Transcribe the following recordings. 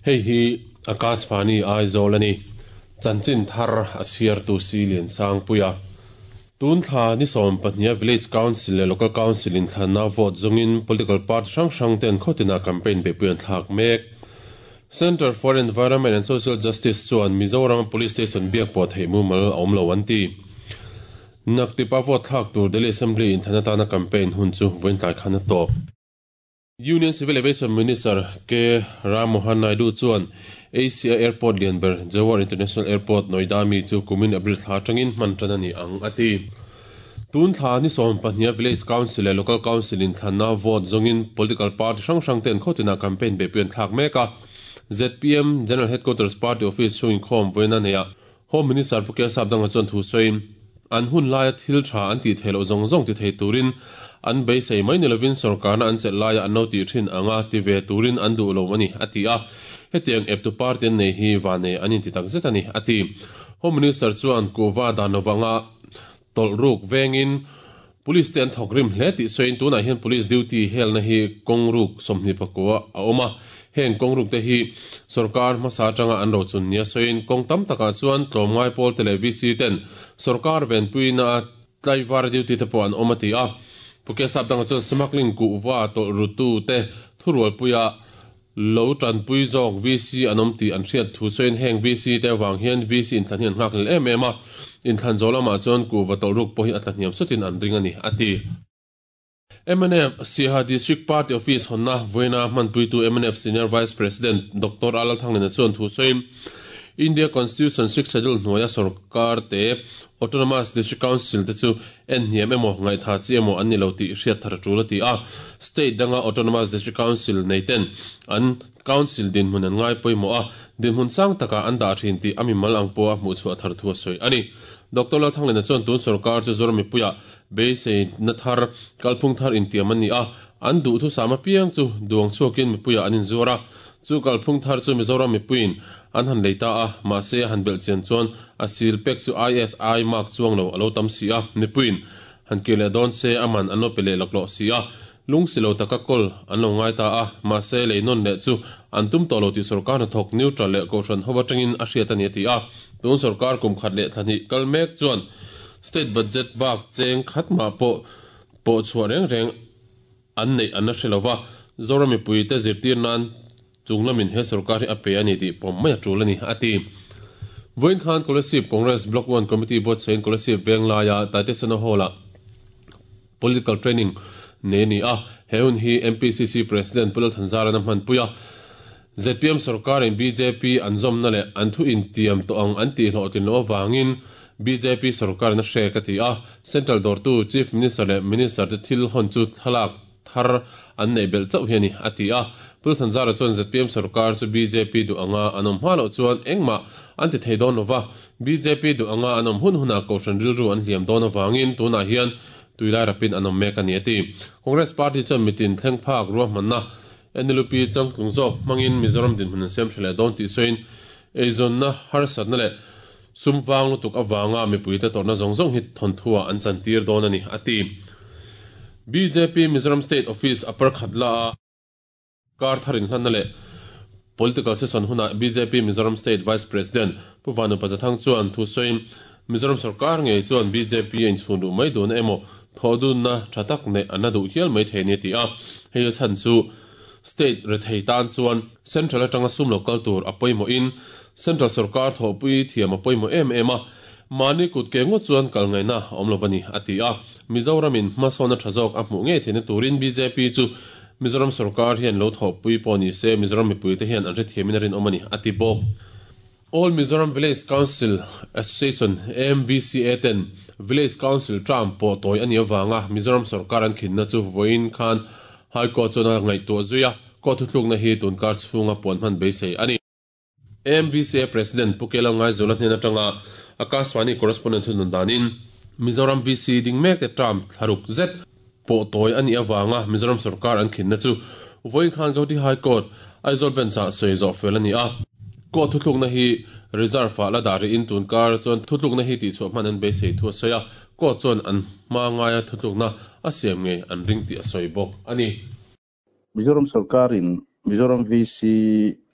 Hei hi Akashvani Aizawl a ni. Chanchin thar a chhiartu si Liansangpuia. Tun thla ni 12 Village Council leh Local Council inthlanna vote zawngin political party hrang hrang ten khawtinah campaign beihpui an thlak mek. Centre for Environment and Social Justice chuan Mizoram Police Station biak pawh theih mumal a awm lo an ti. Naktipa vote thlak tur Delhi Assembly inthlan atana campaign hun chu vawiin tlai khan a tawp. Union Civil Aviation Minister K Ram Mohan Naidu chuan Asia airport lian ber Jewar International Airport, Noida mi chu kumin April thla atangin hman tan a ni ang a ti. Tun thla ni 12 Village Council leh Local Council inthlanna vote zawngin political party hrang hrang ten khawtinah campaign beihpui an thlak mek a. ZPM General Headquarters Party Office chhung inkhawm vawiin a nei a. Home Minister Pu Kelsap danga chuan thu sawiin, an hun laia thil tha an tih theih loh zawng zawng ti thei turin an beisei mai ni lovin sorkarna an chelh laia an lo tih thin anga ti ve turin an duh lo a ni, a ti a. Hetiang eptu party an nei hi vanei an inti tak zet a ni, a ti. Home Minister chuan kuhva dan lovanga tawlh ruk vengin Police te an thawk rim hle tih sawiin tunah hian Police duty helna hi kawng ruk 24 a awm a, heng kawng ruk te hi sorkar hmasa atanga an rochun nia sawiin kawng tam takah chuan tlawmngai pawl te leh VC ten sorkar venpuina tlaivar duty te pawh an awm a ti a. Pu Kesap dangah chuan smuggling kuhva tawlh rutu te thurualpuia Lo tanpui zawk VC an awm tih an hriat thu sawiin heng VC te avang hian VC inthlan hi an nghak lel em em a, inthlan zawh lamah chuan kuhva tawlh ruk pawh hi a tla hniam sutin an ring a ni, a ti. Mnf Siaha District Party Office hawnna vawiina hmanpuitu mnf Senior Vice President Doctor A Lalthanglina chuan thu sawiin India Constitution Sixth Schedule hnuaia sorkar te Autonomous District Council te chu en hniam emaw, ngaihtha chi emaw an ni lo tih hriat thar a tul a ti a. State danga Autonomous District Council nei ten an Council dinhmun an ngai pawimawh a, dinhmun sang takah an dah thin tih a mimal ang pawha hmuh chhuah thar thu a sawi a ni. Doctor Lalthanglena chuan tun sorkar chu Zoram mipuiah beiseina thar, kalphung thar intiam an ni a, an duhthusam apiang chu duang chhuakin mipuiah an inzuar a, chu kalphung thar chu Mizoram mipuiin an han lei ta a, mahse a han belh chian chuan a sil pek chu ISI mark chuang lo a lo tam si a, mipuiin han kir leh dawn se a man an lo pe leh laklawh si a, lung si lo taka kawl an lo ngai ta a, mahse lei nawn leh chu an tum tawh lo tih sorkar hnathawk neutral leh kohhran ho atangin a hriat a ni a ti a, tun sorkar kum khat leh thla hnih kal mek chuan state budget bak cheng khat mah pawh pawh chhuah reng reng an neih an la hre lo va, Zoram mipuite zirtir nan Chung lamin he sorkar hi a pe a ni tih pawm mai a tul a ni, a ti. Vawiin khan Kolasib Congress Block One Committee buatsahin Kolasib Venglaia Taitesena Hall-ah Political Training nei a ni a, he hun hi MPCC President Pu Lalthanzara'n a hmanpui a. Zpm sorkarin bjp an zawmna leh an thu intiam tawh ang an tih hlawhtlin loh avangin bjp sorkarin a hrek a ti a. Central dawrtu Chief Minister leh Minister te thil hawn chu thlalak thar an neih belh chauh hi a ni, a ti a. Pu Thanzara chuan zpm sorkar chu bjp duh anga an awm hma loh chuan engmah an ti thei dawn lova, bjp duh anga an awm hun hunah kohhran rilru an hliam dawn avangin tunah hian tuilai rapin an awm mek a ni, a ti. Congress party chuan mitin thleng phak ruahmanna NLUP changtlung zawk hmangin Mizoram dinhmun an siam tha leh dawn tih sawiin eizawnna harsatna leh sum vang lutuk avanga mipuite tawrhna zawng zawng hi thawnthuah an chantir dawn a ni, a ti. Bjp Mizoram State Office a parkhat la a, kar thar inhlanna leh Political Session hunah bjp Mizoram State Vice President Pu Vanu Pazathang chuan thu sawiin Mizoram sorkar ngei chuan bjp a inchhun duh mai duhna emaw thawhdunna tha tak neih an la duh hial mai thei a ni a ti a, hei a chhan chu State rethei tan chuan Central atanga sum lo kal tur a pawimawhin Central sorkar thawhpui thiam a pawimawh em em a, mahni kut ke ngawt chuan kal ngaihna a awm lo a ni, a ti a. Mizoramin hmasawnna tha zawk a hmuh ngei theihna turin bjp chu Mizoram sorkar hian lo thawhpui pawh ni se Mizoram mipuite hian an hrethiamin a rinawm a ni, a ti bawk. All Mizoram Village Council Association, AMVCA, ten Village Council term pawh tawi a nih avanga Mizoram sorkar an khinna chu vawiin khan High Court chuan a ngaihtuah zui a, court thuthlukna hi tunkar chhunga puan hman beisei a ni. AMVCA President Pu Kela Ngaizawla hnen atanga Akashvani Correspondent thunun danin Mizoram VC ding mekte term thlaruk zet pawh tawi a nih avanga Mizoram sorkar an khinna chu vawiin khan Gauhati High Court, Aizawl Bench-ah sawi zawh fel a ni a. Court thuthlukna hi reserve-ah la dah rihin tun kar chuan thuthlukna hi tihchhuah hman an beisei thu a sawi a, court chuan an hma ngaia thuthlukna a siam ngei an ring tih a sawi bawk a ni. Mizoram sorkarin Mizoram VC.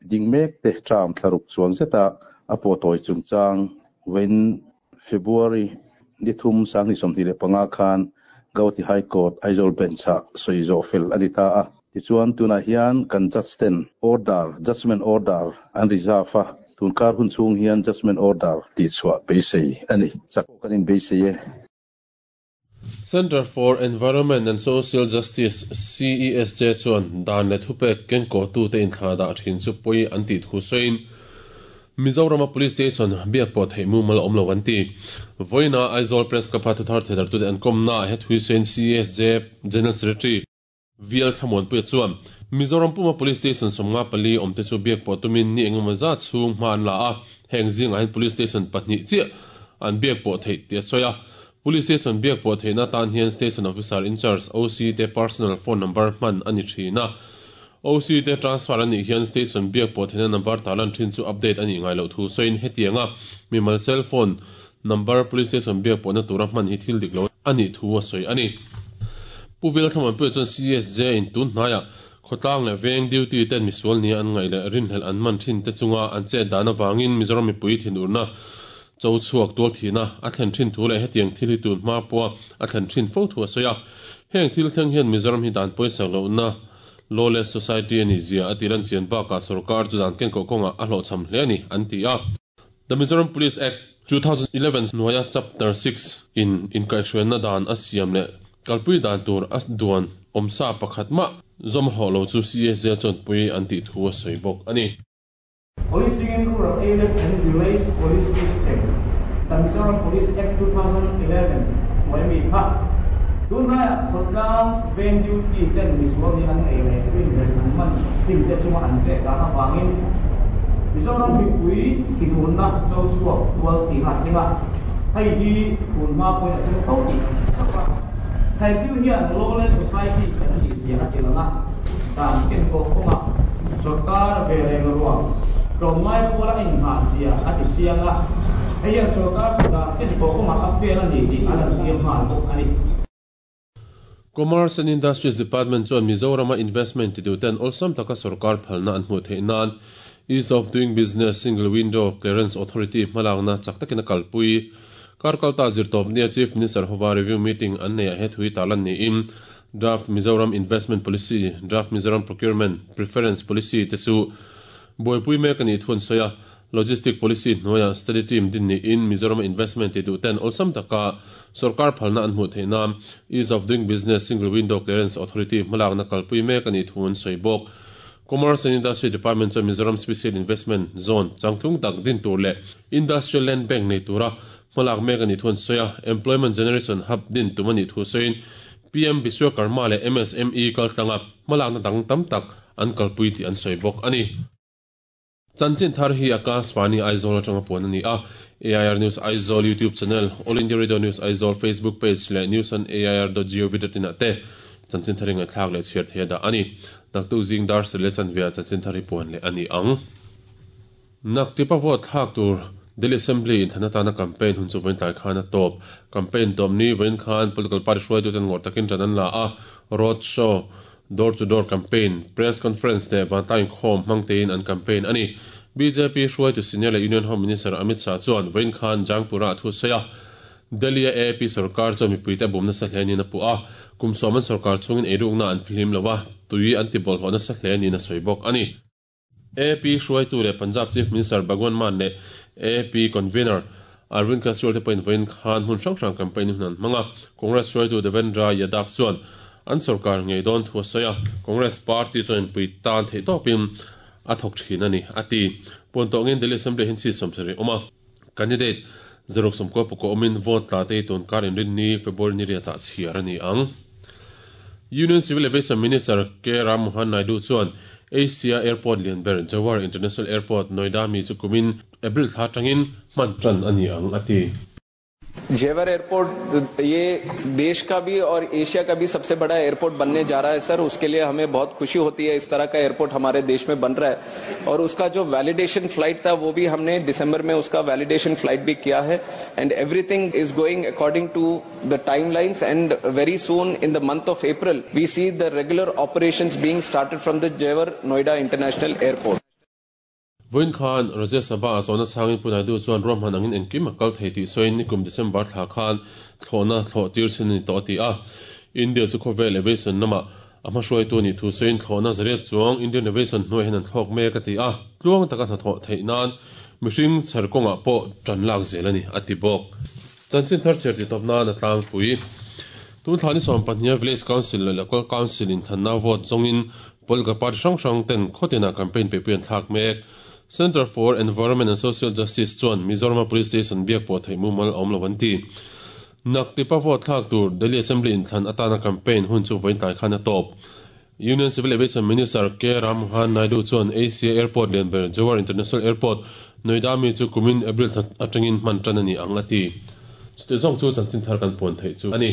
ding mekte term thlaruk chuang zeta a pawhtawi chungchang vawiin February ni thum 2025 khan Gauhati High Court Aizawl Bench-ah sawi zawh fel a ni ta a. Tichuan tunah hian kan judge ten order, judgement order an reserve a, tunkar hun chhung hian judgement order tihchhuah beisei a ni. Chak pawh kan inbeisei e. Centre for Environment and Social Justice, CESJ, chuan dan leh thupek kenkawhtute inthlah dah thin chu pawi an tih thu sawiin, Mizorama Police Station biak pawh theih mumal a awm lo an ti. Vawiina Aizawl Press Club-a thuthar theidartute an kawmnaah he thui sawiin CESJ General Secretary, VL Thlamuanpuia chuan, Mizoram puma Police Station 54 awmte chu biak pawh tumin ni engemaw zat chhung hma an la a, heng zingah hian Police Station pahnih chiah an biak pawh theih tih a sawi a. Police Station biak pawh theihna atan hian Station Officer in Charge, OC, te personal phone number hman a ni thin a. OC te transfer a nih hian Station biak pawh theihna number tarlan thin chu update a nih ngai loh thu sawiin hetianga mimal cell phone Number Police Station biak pawhna tura hman hi thil dik lo a nih thu a sawi a ni. Pu Velthlamuanpuia chuan CSJ in tun hnaiah khawtlang leh veng duty ten misual nia an ngaih leh rinhlelh an man thin te chunga an chet dan avangin Mizoram mipui thinurna cho chhuak tual thihna a thlen thin thu leh hetiang thil hi tun hma pawha a thlen thin fo thu a sawi a. Heng thil thleng hian Mizoram hi dan pawisak lohna lawless society a nih zia a tih lan chian bakah sorkar chu dan kenkawh kawngah a hlawhchham hle a ni an ti a. The Mizoram Police Act, 2011 hnuaia Chapter 6 in inkaihhruaina dan a siam leh kalpui dan tur a duan awmsa pakhat mah zawm hlawh lo chu CSJ chuan pui an tih thu a sawi bawk a ni. Policing in Rural Areas and Village Police System, The Mizoram Police Act, 2011 hnuai mi kha tunlaiah khawtlang veng duty ten misual nih an nei leh rinhlelh an man thin te chunga an chet dan avangin Mizoram mipui thinurna cho chhuak tual thihna a thleng a, hei hi tun hma pawhin a thleng fo tih kan hre theuh a. He thil hian lawless society kan tih zia a ti lang a, dan kenkawh kawngah sorkar ve reng ruang tlawmngai pawla a inghah zia a ti chiang a, hei hian sorkar chu dan kenkawh kawngah a fail a ni tih a lantir nghal bawk a ni. Commerce and Industries Department chuan Mizorama investment tituten awlsam taka sorkar phalna an hmuh theih nan Ease of Doing Business Single Window Clearance Authority hmalakna chak takin a kalpui. Kar kalta zirtawpnia Chief Minister hova review meeting an neiah he thui tarlan niin Draft Mizoram Investment Policy, Draft Mizoram Procurement Preference Policy te chu buaipui mek a nih thu an sawi a. Logistic Policy hnuaiah Study Team din niin Mizorama investment ti duh ten awlsam taka sorkar phalna an hmuh theih nan Ease of Doing Business Single Window Clearance Authority hmalakna kalpui mek a nih thu an sawi bawk. Commerce and Industry Department chuan Mizoram Special Investment Zone changtlung tak din tur leh Industrial Land Bank nei tura hmalak mek a nih thu an sawi a, Employment Generation Hub din tum a nih thu sawiin PM Vishwakarma leh MSME kaltlanga hmalakna dang tam tak an kalpui tih an sawi bawk a ni. Chanchin thar hi Akashvani Aizawl atanga puan a ni a, AIR News Aizawl YouTube channel, All India Radio News Aizawl Facebook page leh news on air dot gov dot in ah te chanchin thar hi ngaihthlak leh chhiar thei a dah a ni. Naktuk zing dar sarih leh chanve ah chanchin thar hi puan leh a ni ang. Naktipa vote thlak tur Delhi Assembly inthlan atana campaign hun chu vawiin tlai khan a tawp. Campaign tawp ni vawiin khan political party hruaituten ngawrh takin ṭan an la a, road show, Door to door campaign, press conference leh vantlang inkhawm hmang tein an campaign a ni. Bjp hruaitu senior leh Union Home Minister Amit Shah chuan vawiin khan Jangpur-ah thu sawi a, Delhi-a AAP sorkar chuan mipuite a bum nasa hle niin a puh a, kum sawm an sorkar chhungin eirukna an fihlim lo a, tui an ti bawlhhlawh nasa hle niin a sawi bawk a ni. AAP hruaitu leh Punjab Chief Minister Bhagwant Mann leh AAP Convener Arvind Kejriwal te pawhin vawiin khan hmun hrang hrang campaign hun an hmang a. Congress hruaitu Devendra Yadav chuan an sorkar ngei dawn thu a sawi a, Congress party chuan inpui tan theih tawpin a thawk thin a ni, a ti. Puan tawngin Delhi Assembly hian seat 70 awm a, candidate 190 awmin vote tla te hi tun kar inrinni February ni riatah chhiar a ni ang. Union Civil Aviation Minister K Ram Mohan Naidu chuan Asia airport lian ber Jewar International Airport, Noida mi chu kumin April thla atangin hman tan a ni ang a ti. Jewar airport ये देश का भी और Asia का भी सबसे बड़ा airport बनने जा रहा है सर उसके लिए हमें बहुत खुशी होती है इस तरह का एयरपोर्ट हमारे देश में बन रहा है और उसका जो वैलिडेशन फ्लाइट था वो भी हमने दिसंबर में उसका वैलिडेशन फ्लाइट भी किया है and everything is going according to the timelines and very soon in the month of April we see the regular operations being started from the Jewar Noida International Airport. Vawiin khan Rajya Sabha ah zawhna chhangin Pu Naidu chuan ruahman angin engkim a kal thei tih sawiin nikum December thla khan thlawhna thlawh tir chhin a ni tawh a ti a. India chu khawvel aviation lamah a hmahruaitu a nih thu sawiin thlawhna zariat chuang Indian Aviation hnuai hian an thlawk mek a ti a. Tluang taka hnathawh theih nan mihring chher kawngah pawh tan lak zel a ni a ti bawk. Chanchin thar chhiar tih tawp nan a tlangpui. Tun thla ni 12 a Village Council leh Local Council inthlanna vote zawngin Political party hrang hrang ten khawtinah campaign peihpui an thlak mek. Centre for Environment and Social Justice chuan Mizoram-a Police Station biak pawh theih mumal a awm lo an ti. Naktipa vote thlak tur Delhi Assembly inthlan atana campaign hun chu vawiin tlai khan a tawp. Union Civil Aviation Minister K Rammohan Naidu chuan Asia Airport lian ber Jewar International Airport, Noida mi chu kumin April thla atangin hman tan a ni ang a ti. Chutih zawng chu chanchin thar kan puan theih chu a ni.